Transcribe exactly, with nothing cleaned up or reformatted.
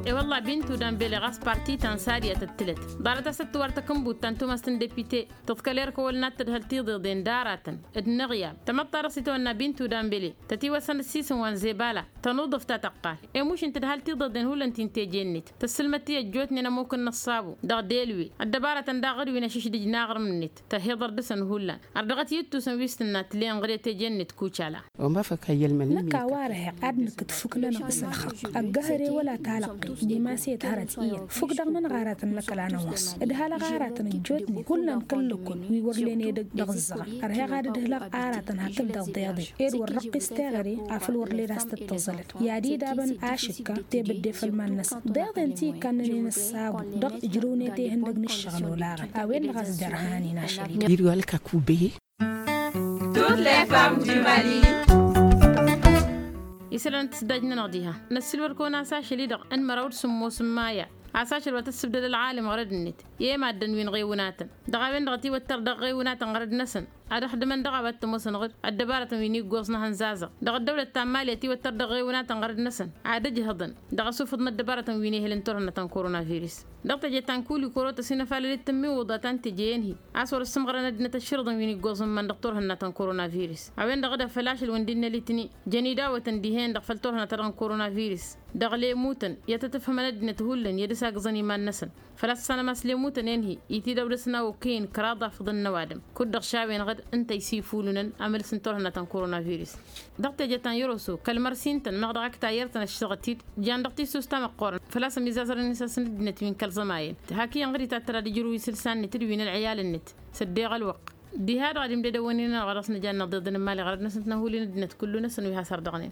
E-wălla bintu danbele ɣas parti ta n-sariyăt ǝttǝlăt ḍarăt a-s tǝtwar takǝnbut ta n-tumăst n-depite tǝḍkăl erk ăwăl n-ad-tǝdhăl tiḍeḍen d-aratăn d-inăɣyal tamăḍt-ta-dăɣ s-itawănna bintu danbele tătiwăsăn ǝssis n-wa n-zebala tănuḍǝf ta tăqqal i-mušǝn tǝdhal tiḍeḍen hullan ti n-teje-net tăssǝlmăd-t i-ăjjootnen ămmuk n-ăṣṣabu dăɣ-delwe ăddăbarătăn daɣ ɣǝd wi n-ašǝšdǝj n-aɣrǝm-net tăhhiḍăr dăɣ-săn hullan ărdăɣăt i-ǝttus n-wi s-tǝnna tǝle ǝnɣǝd i-teje-net kucala. Năkk a-wa ărheɣ ad-nǝkǝt fukk-nănăɣ s-ălxăqq ăggăhăre wăla talăqqe dimas i-ăthărăt iyyăt fukk-dăɣ-nănăɣ aratăn n-ăkall a năwăṣ ǝdhal aɣaratăn ăjjootnen hullan kăl-lăkkol wi wăr len edăgg dăɣ-ǝzzăɣăn ărheɣ ad-ǝdhǝlăɣ aratăn hakd-dăɣ deḍe ed wăr răqqis teɣăre afăl wăr led a-s tăt-tăẓălăd i-ad-idabăn ašǝkka tebădde făll-iman-năsăn deḍen ti ikkannănen ăṣṣabu dăɣ-ǝjrǝwnet ihăndăg n-ǝššăɣǝl olaɣăn a-wen-dăɣ a-s derhan-in ašăl-i. Diri wa lăkakube. Tut lefam jimali. Isălan n-tǝsdaj-nănăɣ diha năssiilwăr kăwăn-as ašăl-i-dăɣ n-măraw d-sǝmmos n-maya a-s ašăl wa tăssǝbdăd ălɣalem ɣărăd-net i-e-maddǝn wi n-iɣewǝnatăn dăɣ-a-wen-dăɣ ătiwăttăr dăɣ-iɣewǝnatăn ɣărăd-năsăn ad-ăxdǝmăn dăɣ-a-wa t-ămoosăn ɣǝd ăddăbarătăn wi n-iggoẓ n-ehăn zazăɣ dăɣ-ăddăwlăt ta n-mali ătiwăttăr dăɣ-iɣewǝnatăn ɣărăd-năsăn ad-ăjhăḍăn dăɣ-asufǝḍ n-ăddăbarătăn wi n-ehăl n-turhǝnna ta n-koronavirus. Dăɣ-teje ta n-kul ikorotăs inăfalăl d-tǝmmiwǝḍa ta n-teje i-ănhi a-s wăr-ǝssǝmɣărăn ăddinăt ăšširǝḍăn wi n-iggoẓ n-iman dăɣ-turhǝnna ta n-koronavirus a-wen-dăɣ d-afăl ašăl wǝndin n-alitni jăn idawătăn dihen-dăɣ făll-turhǝnna-ta-dăɣ n-koronavirus dăɣ-lemutăn i-ad-tăt-ǝfhǝmăn ăddinăt hullan i-ad-ǝsagǝẓăn iman-năsăn. Făl-a-s ăssanăm a-s lemutăn i-ănhi itidăwlăsna okăyăn kăraḍ afǝḍăn n-ăwadǝm kud-dăɣ šawen ɣǝd ǝnta isifulunăn amălǝs n-turhǝnna ta n-koronavirus. Dăɣ-teje ta n-yăroso kăl-mărsi ǝntăn meɣ dăɣ-ak tayyăr-tăn ăššăɣăt-dd jan dăɣ-tisusta măqqoorăn făl-a-s ămizazărăn isăsnăt ăddinăt wi n-kăl-iẓămayăn. Hak iyyăn ɣǝd itattăr ad-ǝjrǝw isǝlsa-net d-wi n-ălɣiyal-net s-ăddeɣ ălwăqq diha-dăɣ ad-imdădăwăn-in-anăɣ dăɣ-s nǝjanna ăḍeḍăn n-imali ɣărăd-năsăn tănhulin ăddinăt kullu-năsăn wi has-ărdăɣnen.